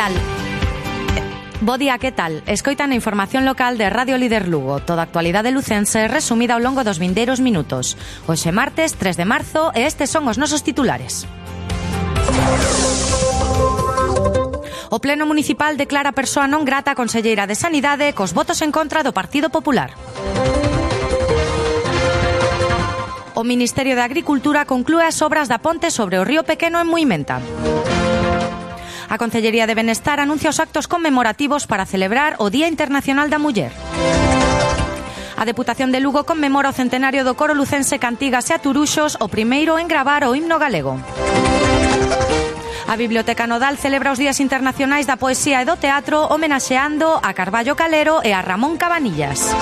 tal? Bo día, que tal? Escoitan a información local de Radio Líder Lugo. Toda a actualidade lucense resumida ao longo dos vindeiros minutos. Hoxe martes, 3 de marzo, e estes son os nosos titulares. O Pleno Municipal declara persoa non grata a conselleira de Sanidade cos votos en contra do Partido Popular. O Ministerio de Agricultura conclúe as obras da ponte sobre o río Pequeno en Muimenta. A Consellería de Benestar anuncia os actos conmemorativos para celebrar o Día Internacional da Muller. A Deputación de Lugo conmemora o centenario do coro lucense Cantigas e Aturuxos, o primeiro en gravar o himno galego. A Biblioteca Nodal celebra os Días Internacionais da Poesía e do Teatro homenaxeando a Carballo Calero e a Ramón Cabanillas.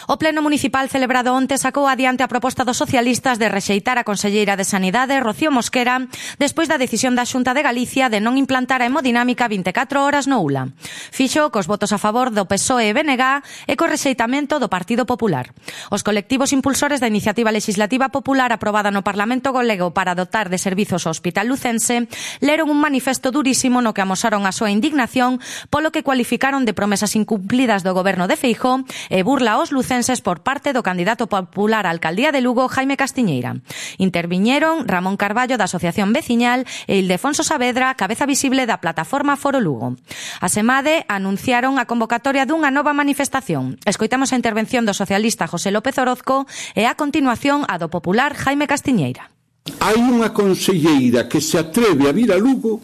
O Pleno Municipal celebrado onte sacou adiante a proposta dos socialistas de rexeitar a conselleira de Sanidade, Rocío Mosquera, despois da decisión da Xunta de Galicia de non implantar a hemodinámica 24 horas no ULA. Fixo cos votos a favor do PSOE e BNG e co rexeitamento do Partido Popular. Os colectivos impulsores da iniciativa legislativa popular aprobada no Parlamento Galego para dotar de servizos ao Hospital Lucense leron un manifesto durísimo no que amosaron a súa indignación polo que cualificaron de promesas incumplidas do goberno de Feijóo e burla aos lucenses por parte do candidato popular á alcaldía de Lugo, Jaime Castiñeira. Interviñeron Ramón Carballo da Asociación Veciñal e Ildefonso Saavedra, cabeza visible da plataforma Foro Lugo. A SEMADE anunciaron a convocatoria dunha nova manifestación. Escoitamos a intervención do socialista José López Orozco e a continuación a do popular Jaime Castiñeira. Hai unha conselleira que se atreve a vir a Lugo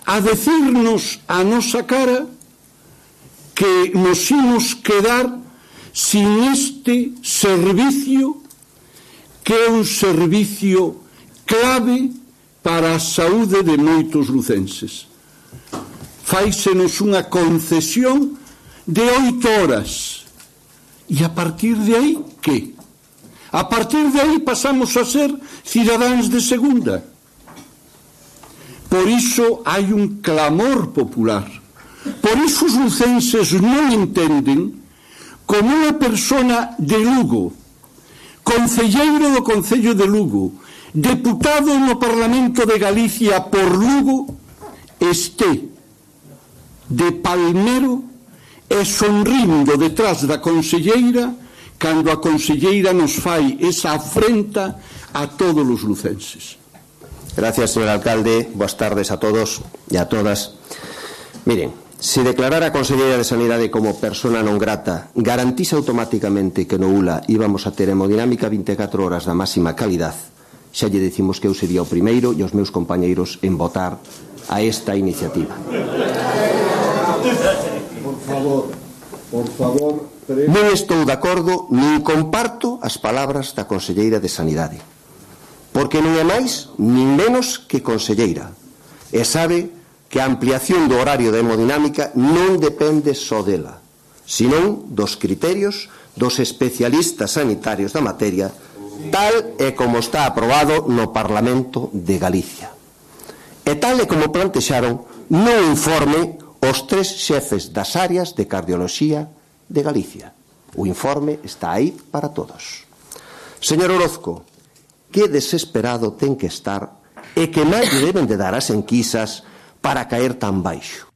a decirnos a nosa cara que nos imos quedar sin este servicio, que é un servicio clave para a saúde de moitos lucenses. Fáisenos unha concesión de 8 horas. E a partir de aí, que? A partir de aí pasamos a ser cidadáns de segunda. Por iso hai un clamor popular. Por iso os lucenses non entenden como unha persona de Lugo, concelleiro do Concello de Lugo, deputado no Parlamento de Galicia por Lugo, este de palmero e sonrindo detrás da conselleira cando a conselleira nos fai esa afrenta a todos os lucenses. Gracias, señor alcalde. Boas tardes a todos e a todas. Miren, se declarar a conselleira de Sanidade como persona non grata garantise automáticamente que no ULA íbamos a ter hemodinámica 24 horas da máxima calidad, xa lle dicimos que eu sería o primeiro e os meus compañeiros en votar a esta iniciativa. Por favor. Non estou de acordo nin comparto as palabras da conselleira de Sanidade, porque non é máis nin menos que conselleira e sabe que a ampliación do horario da hemodinámica non depende só dela, senón dos criterios dos especialistas sanitarios da materia, tal e como está aprobado no Parlamento de Galicia. E tal e como plantexaron no informe os 3 xefes das áreas de cardioloxía de Galicia. O informe está aí para todos. Señor Orozco, que desesperado ten que estar e que máis lle deben de dar as enquisas para caer tan baixo.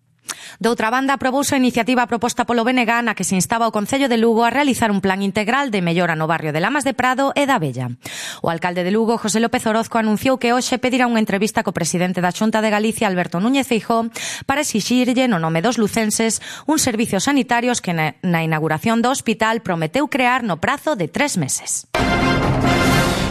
Doutra banda, aprobouse a iniciativa proposta polo BNG na que se instaba o Concello de Lugo a realizar un plan integral de mellora no barrio de Lamas de Prado e da Bella. O alcalde de Lugo, José López Orozco, anunciou que hoxe pedirá unha entrevista co presidente da Xunta de Galicia, Alberto Núñez Feijóo, para exixirlle, no nome dos lucenses, uns servicios sanitarios que na inauguración do hospital prometeu crear no prazo de 3 meses.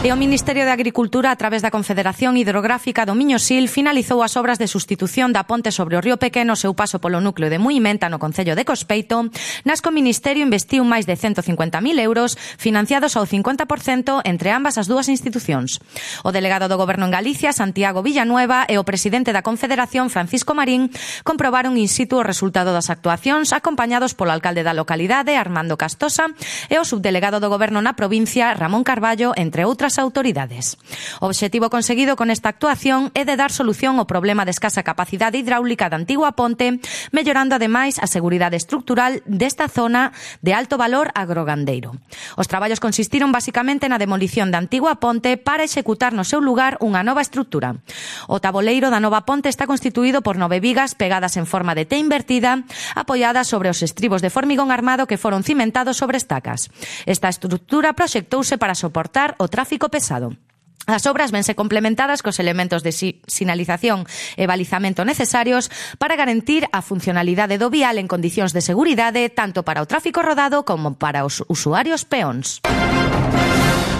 E o Ministerio de Agricultura, a través da Confederación Hidrográfica do Miño-Sil, finalizou as obras de sustitución da ponte sobre o río Pequeno seu paso polo núcleo de Muimenta no concello de Cospeito, nas que o Ministerio investiu máis de 150.000 euros financiados ao 50% entre ambas as dúas institucións. O delegado do Goberno en Galicia, Santiago Villanueva, e o presidente da Confederación, Francisco Marín, comprobaron in situ o resultado das actuacións, acompañados polo alcalde da localidade, Armando Castosa, e o subdelegado do Goberno na provincia, Ramón Carballo, entre outras das autoridades. O obxectivo conseguido con esta actuación é de dar solución ao problema de escasa capacidade hidráulica da antigua ponte, mellorando ademais a seguridade estructural desta zona de alto valor agrogandeiro. Os traballos consistiron basicamente na demolición da antigua ponte para executar no seu lugar unha nova estrutura. O taboleiro da nova ponte está constituído por 9 vigas pegadas en forma de T invertida, apoiadas sobre os estribos de formigón armado que foron cimentados sobre estacas. Esta estrutura proxectouse para soportar o tráfico pesado. As obras vense complementadas cos elementos de sinalización e balizamento necesarios para garantir a funcionalidade do vial en condicións de seguridade tanto para o tráfico rodado como para os usuarios peóns.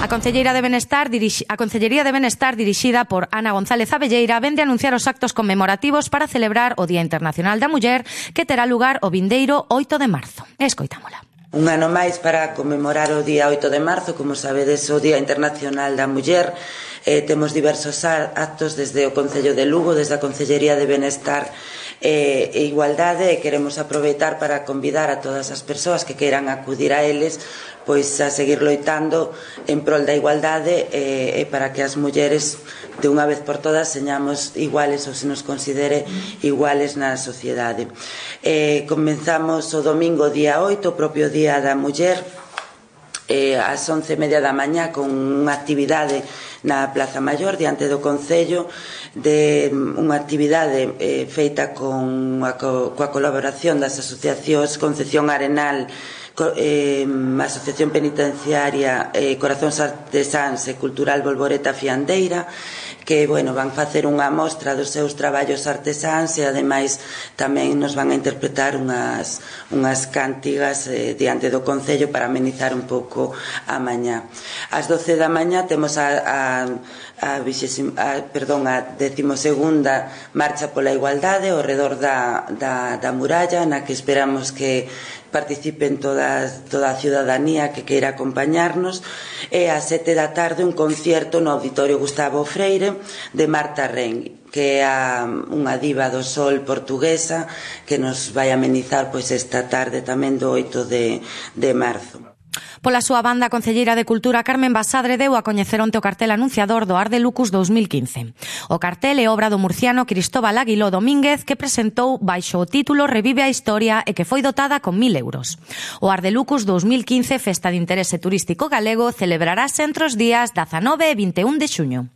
A Consellería de Benestar dirixida por Ana González Abelleira vende anunciar os actos conmemorativos para celebrar o Día Internacional da Muller que terá lugar o vindeiro 8 de marzo. Escoitámola. Un ano máis para conmemorar o día 8 de marzo, como sabedes, o Día Internacional da Muller. Temos diversos actos desde o Concello de Lugo, desde a Consellería de Benestar e Igualdade, e queremos aproveitar para convidar a todas as persoas que queiran acudir a eles pois a seguir loitando en prol da igualdade e para que as mulleres de unha vez por todas señamos iguales ou se nos considere iguales na sociedade. Comenzamos o domingo día 8, o propio Día da Muller, ás 11:30 da mañá con unha actividade na Plaza Maior diante do Concello, de unha actividade feita coa colaboración das asociacións Concepción Arenal, Asociación Penitenciaria, Corazóns Artesáns e Cultural Bolboreta Fiandeira, que van facer unha mostra dos seus traballos artesáns e ademais tamén nos van a interpretar unhas cántigas diante do Concello para amenizar un pouco a mañá. Ás 12 da mañá temos a 12ª Marcha pola Igualdade ao redor da muralla, na que esperamos que participen toda a ciudadanía que queira acompañarnos, e ás 7 da tarde un concierto no Auditorio Gustavo Freire de Marta Ren, que é unha diva do sol portuguesa que nos vai amenizar esta tarde tamén do 8 de marzo. Pola súa banda, a concelleira de Cultura Carmen Basadre deu a coñecer onte o cartel anunciador do Arde Lucus 2015. O cartel é obra do murciano Cristóbal Aguiló Domínguez, que presentou baixo o título Revive a Historia e que foi dotada con 1.000 euros. O Arde Lucus 2015, festa de interese turístico galego, celebrarase entre os días 19 e 21 de xuño.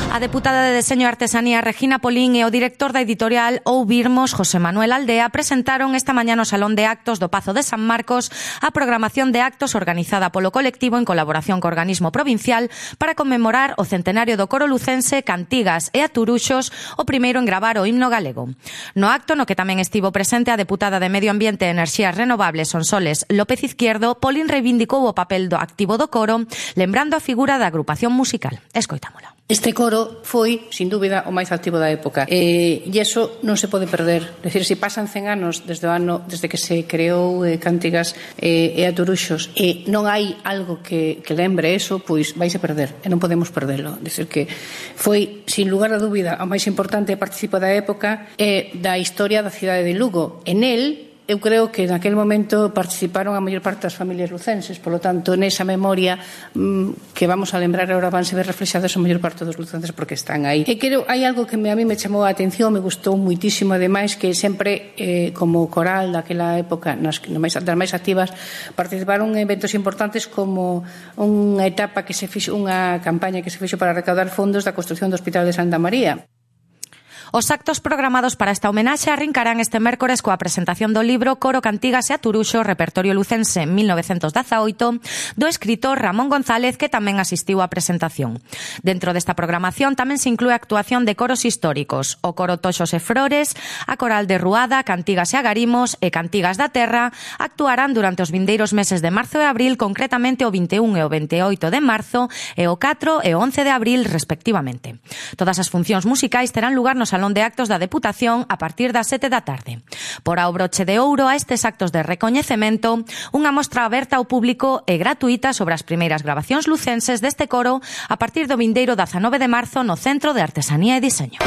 A deputada de Deseño e Artesanía Regina Polín e o director da editorial Oubirmos, José Manuel Aldea, presentaron esta mañá no Salón de Actos do Pazo de San Marcos a programación de actos organizada polo colectivo en colaboración co organismo provincial para conmemorar o centenario do coro lucense Cantigas e Aturuxos, o primeiro en gravar o himno galego. No acto, no que tamén estivo presente a deputada de Medio Ambiente e Enerxías Renovables Sonsoles López Izquierdo, Polín reivindicou o papel do activo do coro, lembrando a figura da agrupación musical. Escoitámola. Este coro foi, sin dúbida, o máis activo da época e iso non se pode perder. É dicir, se pasan 100 anos desde que se creou Cantigas e Aturuxos e non hai algo que lembre eso, pois vaise perder e non podemos perdelo. É dicir, que foi, sin lugar a dúbida, o máis importante participo da época e da historia da cidade de Lugo. En el, eu creo que naquele momento participaron a maior parte das familias lucenses, polo tanto, nesa memoria que vamos a lembrar agora vanse ver reflexadas a maior parte dos lucenses porque están aí. E creo, hai algo que a mí me chamou a atención, me gustou muitísimo, ademais, que sempre, como coral daquela época, das máis activas, participaron en eventos importantes como unha etapa que se fixo, unha campaña que se fixo para recaudar fondos da construción do Hospital de Santa María. Os actos programados para esta homenaxe arrincarán este mércores coa presentación do libro Coro, Cantigas e Aturuxo, Repertorio Lucense 1918, do escritor Ramón González, que tamén asistiu á presentación. Dentro desta programación tamén se inclúe a actuación de coros históricos, o Coro Toxos e Flores, a Coral de Ruada, Cantigas e Agarimos e Cantigas da Terra actuarán durante os vindeiros meses de marzo e abril, concretamente o 21 e o 28 de marzo e o 4 e o 11 de abril, respectivamente. Todas as funcións musicais terán lugar no Salón de Actos da Deputación a partir das 7 da tarde. Por ao broche de ouro a estes actos de recoñecemento, unha mostra aberta ao público e gratuita sobre as primeiras grabacións lucenses deste coro a partir do vindeiro 19 de marzo no Centro de Artesanía e Diseño.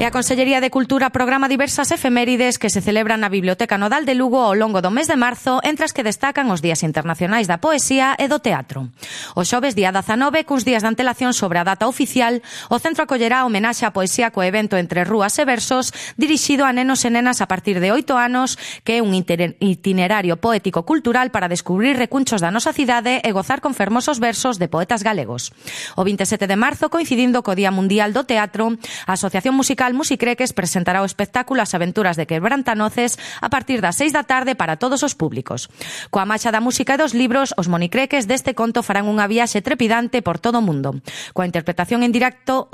E a Consellería de Cultura programa diversas efemérides que se celebran na Biblioteca Nodal de Lugo ao longo do mes de marzo, entre as que destacan os Días Internacionais da Poesía e do Teatro. O xoves, día 19, cuns días de antelación sobre a data oficial, o centro acollerá homenaxe á poesía co evento Entre Rúas e Versos, dirixido a nenos e nenas a partir de 8 anos, que é un itinerario poético-cultural para descubrir recunchos da nosa cidade e gozar con fermosos versos de poetas galegos. O 27 de marzo, coincidindo co Día Mundial do Teatro, a Asociación Musical Musicreques presentará o espectáculo As Aventuras de Quebrantanoces a partir das 6 da tarde para todos os públicos. Coa marcha da música e dos libros, os monicreques deste conto farán unha viaxe trepidante por todo o mundo. Coa interpretación en directo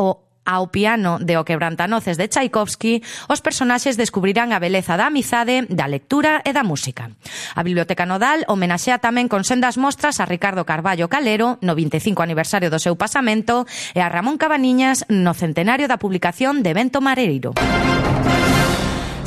ao piano de O Quebrantanoces de Tchaikovsky, os personaxes descubrirán a beleza da amizade, da lectura e da música. A Biblioteca Nodal homenaxea tamén con sendas mostras a Ricardo Carballo Calero no 25 aniversario do seu pasamento e a Ramón Cabaniñas no centenario da publicación de Bento Mareiro.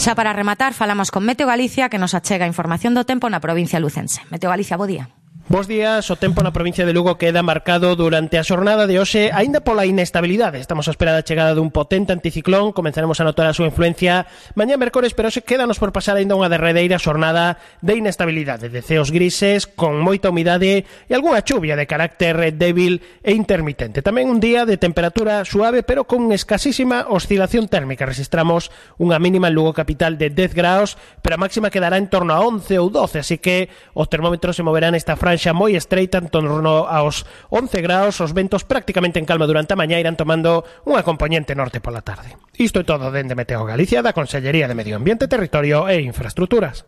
Xa para rematar, falamos con Meteo Galicia, que nos achega información do tempo na provincia lucense. Meteo Galicia, bo día. Bos días, o tempo na provincia de Lugo queda marcado durante a xornada de hoxe aínda pola inestabilidade. Estamos a espera da chegada dun potente anticiclón, comenzaremos a notar a súa influencia mañá mércores, pero hoxe quédanos por pasar aínda unha derradeira xornada de inestabilidade, de ceos grises, con moita humidade e algunha chuvia de carácter débil e intermitente. Tamén un día de temperatura suave, pero con escasísima oscilación térmica. Registramos unha mínima en Lugo capital de 10 graus, pero a máxima quedará en torno a 11 ou 12, así que os termómetros se moverán esta franja moi estreita en torno aos 11 graus, os ventos prácticamente en calma durante a mañá irán tomando unha componente norte pola tarde. Isto é todo dende Meteo Galicia, da Consellería de Medio Ambiente, Territorio e Infraestructuras.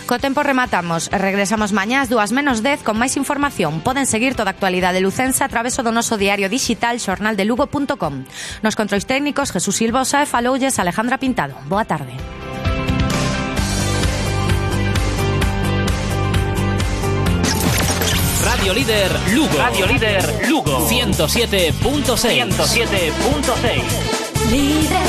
Co tempo rematamos e regresamos mañá ás 2:10 con máis información. Poden seguir toda a actualidade lucense a través do noso diario digital xornaldelugo.com. Nos controis técnicos Jesús Silvosa e faloulles Alejandra Pintado. Boa tarde. Radio Líder Lugo. Radio Líder Lugo. 107.6. 107.6. Líder.